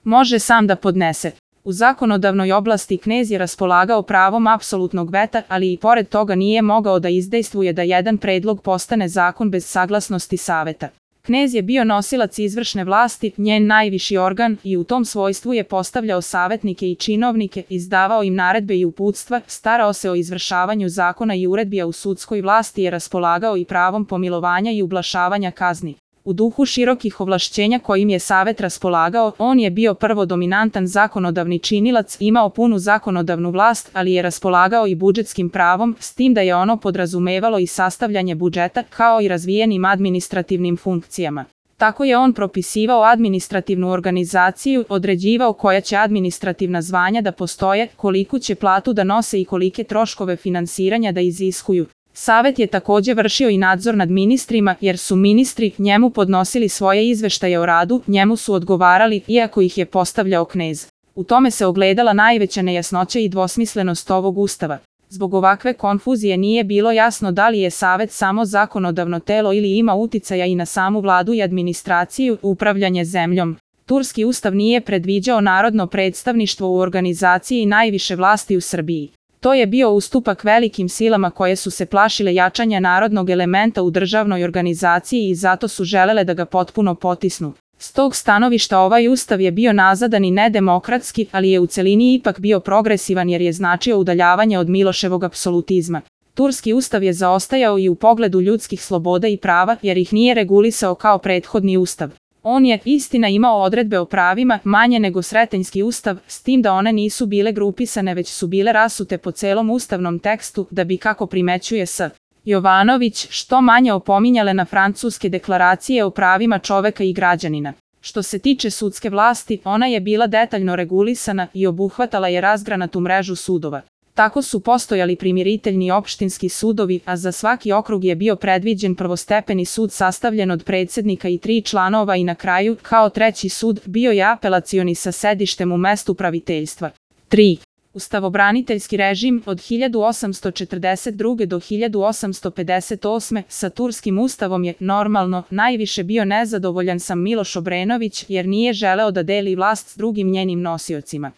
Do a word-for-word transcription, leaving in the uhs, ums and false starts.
može sam da podnese. U zakonodavnoj oblasti knez je raspolagao pravom apsolutnog veta, ali i pored toga nije mogao da izdejstvuje da jedan predlog postane zakon bez saglasnosti saveta. Knez je bio nosilac izvršne vlasti, njen najviši organ, i u tom svojstvu je postavljao savetnike i činovnike, izdavao im naredbe i uputstva, starao se o izvršavanju zakona i uredbi, a u sudskoj vlasti je raspolagao i pravom pomilovanja i ublažavanja kazni. U duhu širokih ovlašćenja kojim je savet raspolagao, on je bio prvo dominantan zakonodavni činilac, imao punu zakonodavnu vlast, ali je raspolagao i budžetskim pravom, s tim da je ono podrazumevalo i sastavljanje budžeta, kao i razvijenim administrativnim funkcijama. Tako je on propisivao administrativnu organizaciju, određivao koja će administrativna zvanja da postoje, koliku će platu da nose i kolike troškove finansiranja da iziskuju. Savet je takođe vršio i nadzor nad ministrima, jer su ministri njemu podnosili svoje izveštaje o radu, njemu su odgovarali, iako ih je postavljao knez. U tome se ogledala najveća nejasnoća i dvosmislenost ovog ustava. Zbog ovakve konfuzije nije bilo jasno da li je savet samo zakonodavno telo ili ima uticaja i na samu vladu i administraciju, upravljanje zemljom. Turski ustav nije predviđao narodno predstavništvo u organizaciji najviše vlasti u Srbiji. To je bio ustupak velikim silama koje su se plašile jačanja narodnog elementa u državnoj organizaciji i zato su želele da ga potpuno potisnu. S tog stanovišta ovaj ustav je bio nazadan i nedemokratski, ali je u celini ipak bio progresivan jer je značio udaljavanje od Miloševog apsolutizma. Turski ustav je zaostajao i u pogledu ljudskih sloboda i prava jer ih nije regulisao kao prethodni ustav. On je, istina, imao odredbe o pravima manje nego Sretenjski ustav, s tim da one nisu bile grupisane već su bile rasute po celom ustavnom tekstu da bi, kako primećuje S. Jovanović, što manje opominjale na francuske deklaracije o pravima čoveka i građanina. Što se tiče sudske vlasti, ona je bila detaljno regulisana i obuhvatala je razgranatu mrežu sudova. Tako su postojali primiriteljni opštinski sudovi, a za svaki okrug je bio predviđen prvostepeni sud sastavljen od predsednika i tri članova i na kraju, kao treći sud, bio je apelacioni sa sedištem u mestu praviteljstva. tri. Ustavobraniteljski režim od hiljadu osamsto četrdeset druge do hiljadu osamsto pedeset osme sa turskim ustavom je, normalno, najviše bio nezadovoljan sam Miloš Obrenović jer nije želeo da deli vlast s drugim njenim nosiocima.